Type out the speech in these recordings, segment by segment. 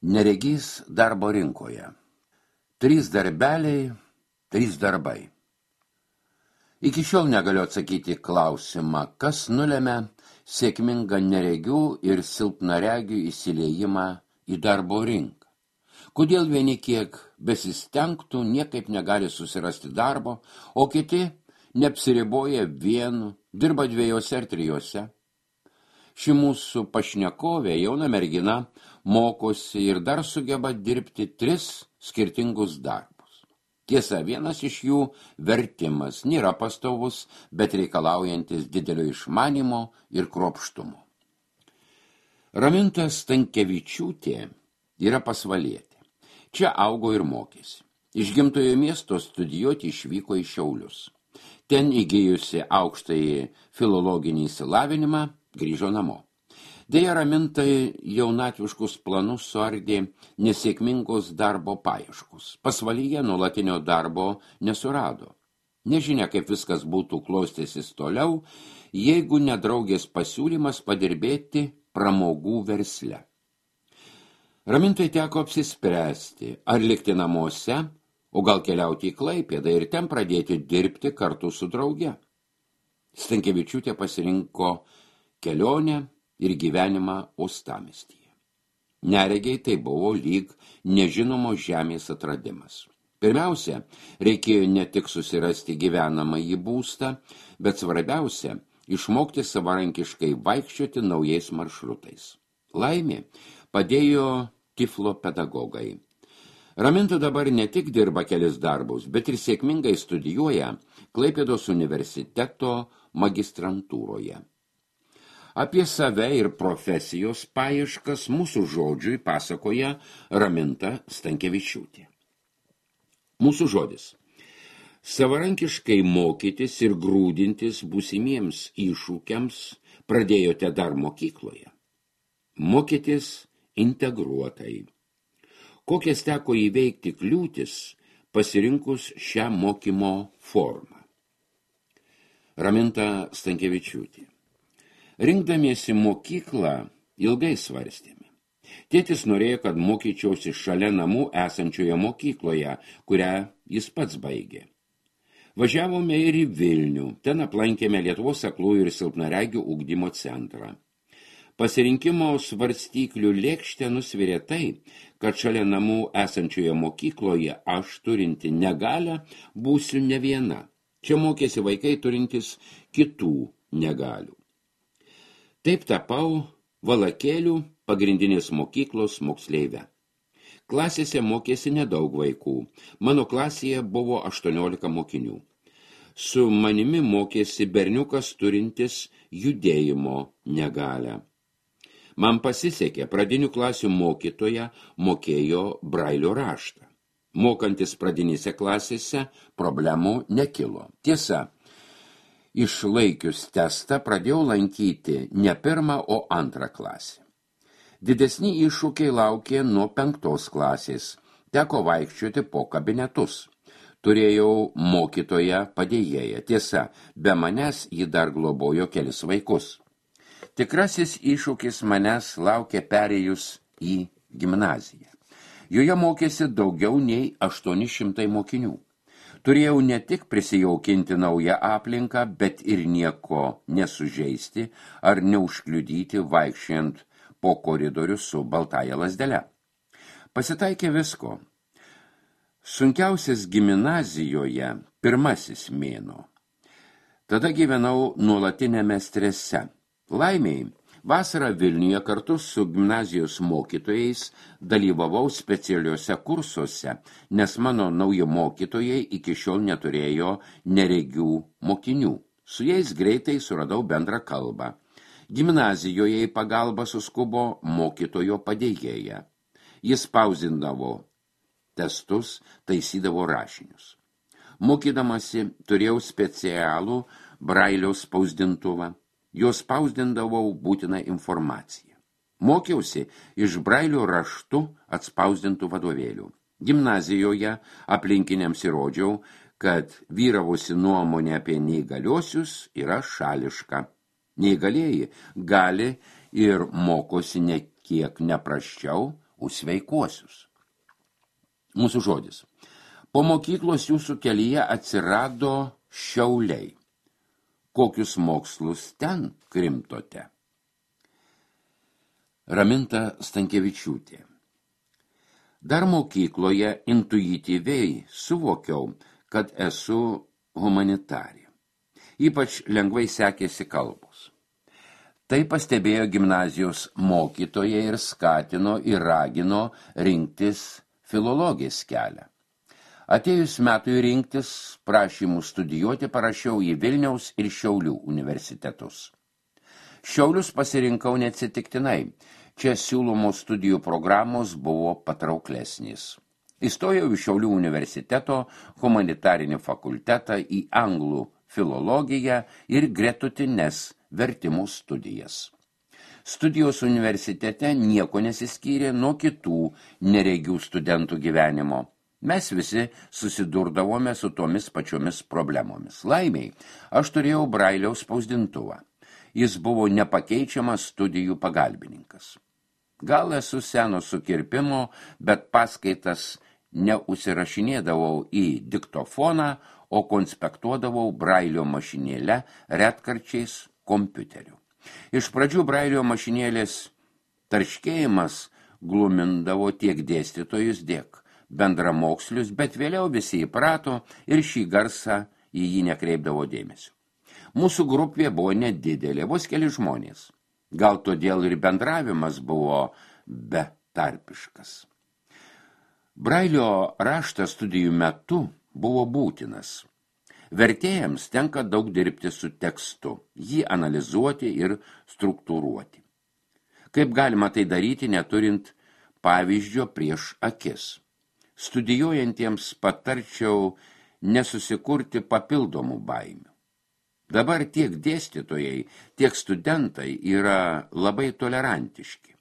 Neregys darbo rinkoje. 3 darbeliai, 3 darbai. Iki šiol negaliu atsakyti klausimą, kas nulemia sėkmingą neregių ir silpnaregių įsiliejimą į darbo rinką. Kodėl vieni kiek besistengtų niekaip negali susirasti darbo, o kiti neapsiriboja vienu, dirba 2 ar 3. Ši mūsų pašnekovė, jauna mergina, mokosi ir dar sugeba dirbti 3 skirtingus darbus. Tiesa, vienas iš jų vertimas nėra pastovus, bet reikalaujantis didelio išmanimo ir kruopštumo. Raminta Stankevičiūtė yra pasvalietė. Čia augo ir mokėsi. Iš gimtojo miesto studijuoti išvyko į Šiaulius. Ten įgijusi aukštąjį filologinį išsilavinimą, grįžo namo. Deja, Ramintai jaunatviškus planus suardė nesėkmingos darbo paieškos. Pasvalyje nuolatinio darbo nesurado. Nežinia, kaip viskas būtų klostęsis toliau, jeigu nedraugės pasiūlymas padirbėti pramogų versle. Ramintai teko apsispręsti, ar likti namuose, o gal keliauti į Klaipėdą ir ten pradėti dirbti kartu su drauge. Stankevičiūtė pasirinko kelionę ir gyvenimą uostamiestyje. Neregiai tai buvo lyg nežinomo žemės atradimas. Pirmiausia, reikėjo ne tik susirasti gyvenamąjį būstą, bet svarbiausia, išmokti savarankiškai vaikščioti naujais maršrutais. Laimė padėjo Tiflo pedagogai. Raminta dabar ne tik dirba kelis darbus, bet ir sėkmingai studijuoja Klaipėdos universiteto magistrantūroje. Apie save ir profesijos paieškas mūsų žodžiui pasakoja Raminta Stankevičiūtė. Mūsų žodis. Savarankiškai mokytis ir grūdintis būsimiems iššūkiams pradėjote dar mokykloje. Mokytis integruotai. Kokias teko įveikti kliūtis pasirinkus šią mokymo formą. Raminta Stankevičiūtė. Rinkdamiesi mokyklą ilgai svarstėme. Tėtis norėjo, kad mokyčiausi šalia namų esančioje mokykloje, kurią jis pats baigė. Važiavome ir į Vilnių, ten aplankėme Lietuvos aklųjų ir silpnaregių ugdymo centrą. Pasirinkimo svarstyklių lėkštę nusvirė tai, kad šalia namų esančioje mokykloje aš turinti negalią būsiu ne viena. Čia mokėsi vaikai turintys kitų negalių. Taip tapau Valakėlių pagrindinės mokyklos moksleivę. Klasėse mokėsi nedaug vaikų. Mano klasėje buvo 18 mokinių. Su manimi mokėsi berniukas turintis judėjimo negalią. Man pasisekė, pradinių klasių mokytoja mokėjo brailio raštą. Mokantis pradinėse klasėse problemų nekilo. Tiesa, išlaikius testą pradėjau lankyti ne 1, o 2 klasę. Didesni iššūkiai laukė nuo 5 klasės. Teko vaikščioti po kabinetus. Turėjau mokytoją padėjėją. Tiesa, be manęs ji dar globojo kelis vaikus. Tikrasis iššūkis manęs laukė perėjus į gimnaziją. Joje mokėsi daugiau nei 800 mokinių. Turėjau ne tik prisijaukinti naują aplinką, bet ir nieko nesužeisti ar neužkliudyti vaikščiant po koridorių su baltąja lazdele. Pasitaikė visko. Sunkiausias gimnazijoje 1 mėnuo. Tada gyvenau nuolatinėme strese. Laimiai, vasarą Vilniuje kartu su gimnazijos mokytojais dalyvavau specialiuose kursuose, nes mano nauji mokytojai iki šiol neturėjo neregių mokinių. Su jais greitai suradau bendrą kalbą. Gimnazijoje į pagalbą suskubo mokytojo padėjėja. Jis spausdindavo testus, taisydavo rašinius. Mokydamasi turėjau specialų brailio spausdintuvą. Jos spausdindavau būtiną informaciją. Mokiausi iš brailio raštu atspausdintų vadovėlių. Gimnazijoje aplinkiniams įrodžiau, kad vyravusi nuomonė apie neįgaliuosius yra šališka. Neįgalieji gali ir mokosi ne kiek neprasčiau, už sveikuosius. Mūsų žodis. Po mokyklos jūsų kelyje atsirado Šiauliai. Kokius mokslus ten krimtote? Raminta Stankevičiūtė. Dar mokykloje intuityviai suvokiau, kad esu humanitarė. Ypač lengvai sekėsi kalbos. Tai pastebėjo gimnazijos mokytoja ir skatino ir ragino rinktis filologės kelią. Atėjus metui rinktis prašymų studijuoti parašiau į Vilniaus ir Šiaulių universitetus. Šiaulius pasirinkau neatsitiktinai. Čia siūlomos studijų programos buvo patrauklesnės. Įstojau į Šiaulių universiteto humanitarinį fakultetą į anglų filologiją ir gretutines vertimų studijas. Studijos universitete nieko nesiskyrė nuo kitų neregių studentų gyvenimo. Mes visi susidurdavome su tomis pačiomis problemomis. Laimiai, aš turėjau Brailiaus spausdintuvą. Jis buvo nepakeičiamas studijų pagalbininkas. Gal esu seno sukirpimo, bet paskaitas neužsirašinėdavau į diktofoną, o konspektuodavau Brailio mašinėlę, retkarčiais kompiuteriu. Iš pradžių Brailio mašinėlės tarškėjimas glumindavo tiek dėstytojus, tiek bendramokslius, bet vėliau visi įprato ir šį garsą į jį nekreipdavo dėmesio. Mūsų grupė buvo nedidelė, vos keli žmonės. Gal todėl ir bendravimas buvo betarpiškas. Brailio raštas studijų metu buvo būtinas. Vertėjams tenka daug dirbti su tekstu, jį analizuoti ir struktūruoti. Kaip galima tai daryti, neturint pavyzdžio prieš akis? Studijuojantiems patarčiau nesusikurti papildomų baimių. Dabar tiek dėstytojai, tiek studentai yra labai tolerantiški.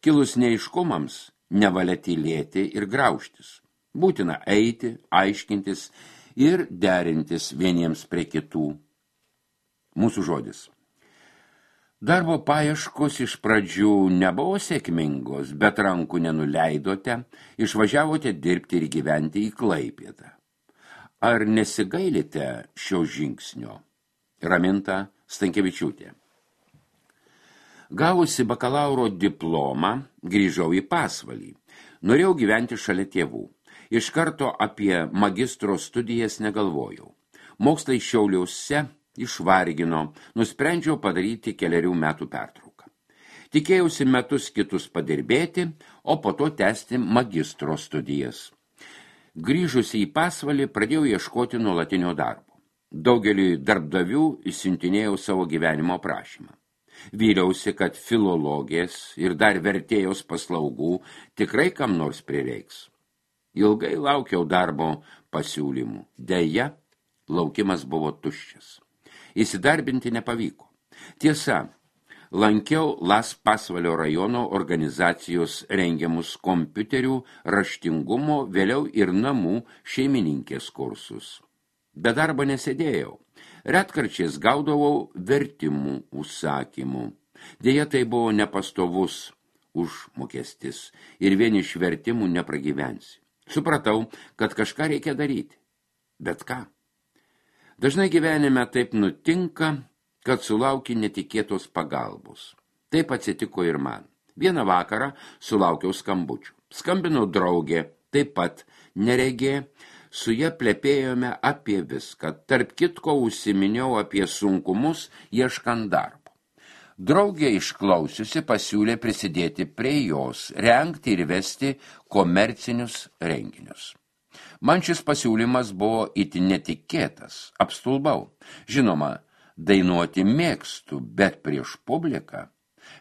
Kilus neaiškumams, nevalia tylėti ir graužtis. Būtina eiti, aiškintis ir derintis vieniems prie kitų. Mūsų žodis. Darbo paieškos iš pradžių nebuvo sėkmingos, bet rankų nenuleidote, išvažiavote dirbti ir gyventi į Klaipėdą. Ar nesigailite šio žingsnio? Raminta Stankevičiūtė. Gavusi bakalauro diplomą, grįžau į Pasvalį. Norėjau gyventi šalia tėvų. Iš karto apie magistro studijas negalvojau. Mokslai Šiauliuose išvargino, nusprendžiau padaryti 4 metų pertrauką. Tikėjausi metus kitus padirbėti, o po to tęsti magistro studijas. Grįžusi į Pasvalį, pradėjau ieškoti nuolatinio darbo. Daugeliui darbdavių išsiuntinėjau savo gyvenimo prašymą. Vyliausi, kad filologės ir dar vertėjos paslaugų tikrai kam nors prireiks. Ilgai laukiau darbo pasiūlymų. Deja, laukimas buvo tuščias. Įsidarbinti nepavyko. Tiesa, lankiau Las Pasvalio rajono organizacijos rengiamus kompiuterių raštingumo, vėliau ir namų šeimininkės kursus. Be darbo nesėdėjau. Retkarčiais gaudavau vertimų užsakymų. Deja, tai buvo nepastovus užmokestis ir vien iš vertimų nepragyvensi. Supratau, kad kažką reikia daryti. Bet ką? Dažnai gyvenime taip nutinka, kad sulauki netikėtos pagalbos. Taip atsitiko ir man. Vieną vakarą sulaukiau skambučių. Skambino draugė, taip pat neregė. Su ja plepėjome apie viską. Tarp kitko užsiminiau apie sunkumus ieškant darbo. Draugė išklausiusi pasiūlė prisidėti prie jos, rengti ir vesti komercinius renginius. Man šis pasiūlymas buvo itin netikėtas, apstulbau. Žinoma, dainuoti mėgstu, bet prieš publiką.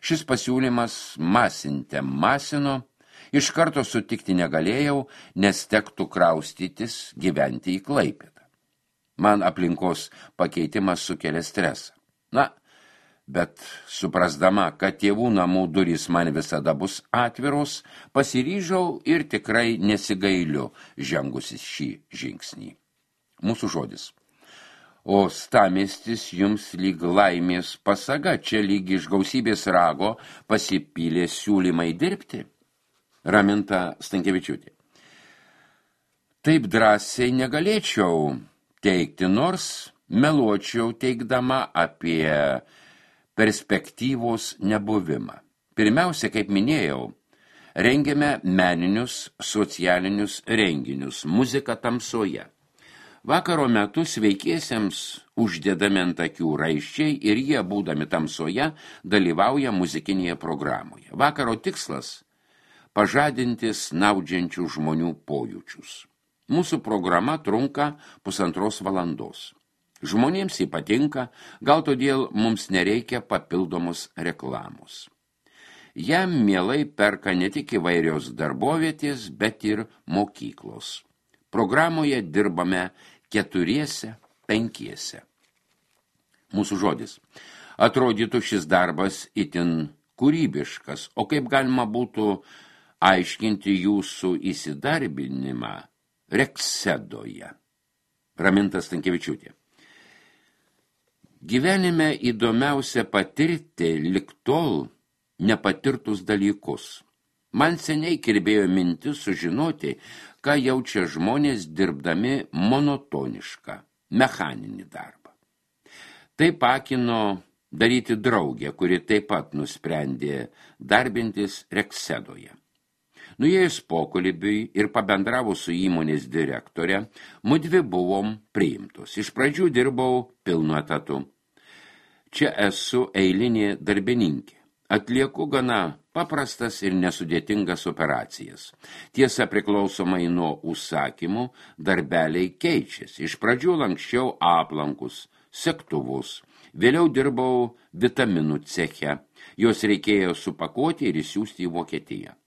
Šis pasiūlymas masino. Iš karto sutikti negalėjau, nes tektų kraustytis gyventi į Klaipėdą. Man aplinkos pakeitimas sukelia stresą. Bet suprasdama, kad tėvų namų durys man visada bus atviros, pasiryžau ir tikrai nesigailiu žengusis šį žingsnį. Mūsų žodis. O stamiestis jums lyg laimės pasaga, čia lyg iš gausybės rago pasipylė siūlymai dirbti. Raminta Stankevičiūtė. Taip drąsiai negalėčiau teikti, nors meluočiau teikdama apie perspektyvos nebuvimą. Pirmiausia, kaip minėjau, rengiame meninius, socialinius renginius, muzika tamsoje. Vakaro metu sveikiesiems uždedami ant akių raiščiai ir jie, būdami tamsoje, dalyvauja muzikinėje programoje. Vakaro tikslas – pažadinti snaudžiančių žmonių pojūčius. Mūsų programa trunka 1,5 valandos. Žmonėms jį patinka, gal todėl mums nereikia papildomos reklamos. Jam mielai perka ne tik įvairios darbovietės, bet ir mokyklos. Programoje dirbame 4–5. Mūsų žodis. Atrodytų šis darbas itin kūrybiškas, o kaip galima būtų aiškinti jūsų įsidarbinimą Reksedoje. Raminta Stankevičiūtė. Gyvenime įdomiausia patirti lig tol nepatirtus dalykus. Man seniai kirbėjo mintis sužinoti, ką jaučia žmonės dirbdami monotonišką, mechaninį darbą. Tai pakino daryti draugę, kuri taip pat nusprendė darbintis Reksedoje. Nuėjus pokalbiui ir pabendravus su įmonės direktore, mudvi buvom priimtos. Iš pradžių dirbau pilnu etatu. Čia esu eilinė darbininkė. Atlieku gana paprastas ir nesudėtingas operacijas. Tiesa, priklausomai nuo užsakymų, darbeliai keičiasi. Iš pradžių lanksčiau aplankus, segtuvus. Vėliau dirbau vitaminų ceche. Jos reikėjo supakuoti ir išsiųsti į Vokietiją.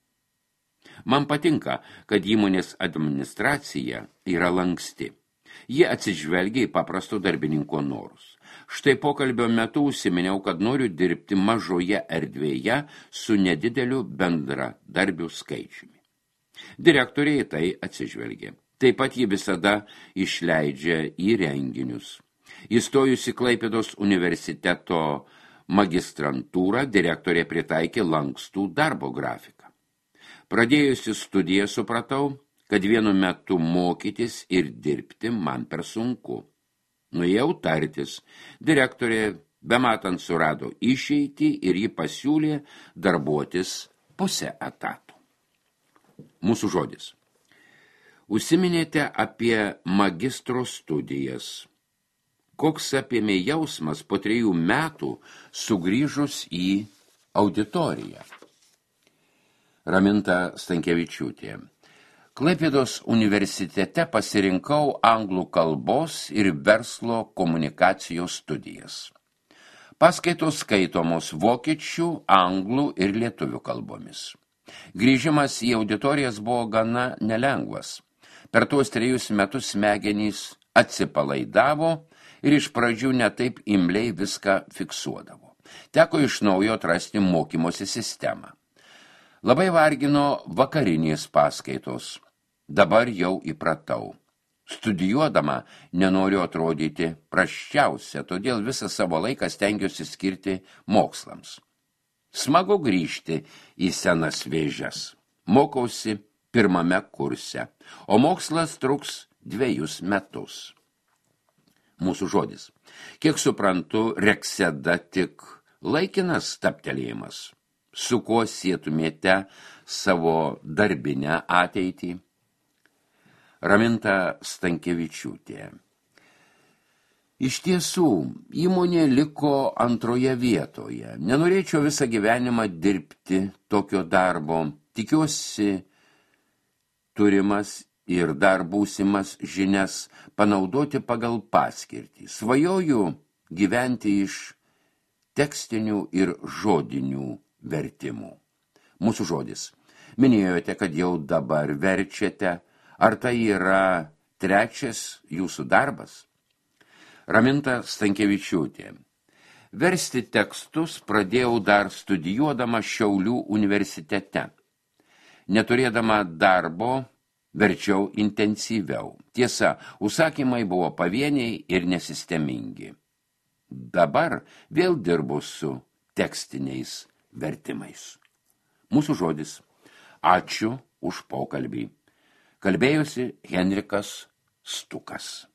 Man patinka, kad įmonės administracija yra lanksti. Jie atsižvelgia į paprasto darbininko norus. Štai pokalbio metu užsiminiau, kad noriu dirbti mažoje erdvėje su nedideliu bendradarbių skaičiumi. Direktoriai tai atsižvelgia. Taip pat ji visada išleidžia į renginius. Įstojusi Klaipėdos universiteto magistrantūrą, direktorė pritaikė lankstų darbo grafiką. Pradėjusi studiją supratau, kad vienu metu mokytis ir dirbti man per sunku. Nuėjau tartis. Direktorė bematant surado išeitį ir ji pasiūlė darbuotis pusę etatų. Mūsų žodis. Užsiminėte apie magistro studijas. Koks apėmė jausmas po 3 metų sugrįžus į auditoriją? Raminta Stankevičiūtė. Klaipėdos universitete pasirinkau anglų kalbos ir verslo komunikacijos studijas. Paskaitos skaitomos vokiečių, anglų ir lietuvių kalbomis. Grįžimas į auditorijas buvo gana nelengvas. Per tuos 3 metus smegenys atsipalaidavo ir iš pradžių netaip imliai viską fiksuodavo. Teko iš naujo atrasti mokymosi sistemą. Labai vargino vakarinės paskaitos. Dabar jau įpratau. Studijuodama nenoriu atrodyti prasčiausia, todėl visą savo laiką stengiuosi skirti mokslams. Smagu grįžti į senas vėžes. Mokausi 1 kurse, o mokslas truks 2 metus. Mūsų žodis. Kiek suprantu, Rekseda tik laikinas stabtelėjimas. Su kuo sietumėte savo darbinę ateitį? Raminta Stankevičiūtė. Iš tiesų, įmonė liko 2 vietoje. Nenorėčiau visą gyvenimą dirbti tokio darbo. Tikiuosi turimas ir dar būsimas žinias panaudoti pagal paskirtį. Svajoju gyventi iš tekstinių ir žodinių vertimų. Mūsų žodis. Minėjote, kad jau dabar verčiate. Ar tai yra 3 jūsų darbas? Raminta Stankevičiūtė. Versti tekstus pradėjau dar studijuodama Šiaulių universitete. Neturėdama darbo, verčiau intensyviau. Tiesa, užsakymai buvo pavieniai ir nesistemingi. Dabar vėl dirbu su tekstiniais vertimais. Mūsų žodis. Ačiū už pokalbį. Kalbėjosi Henrikas Stukas.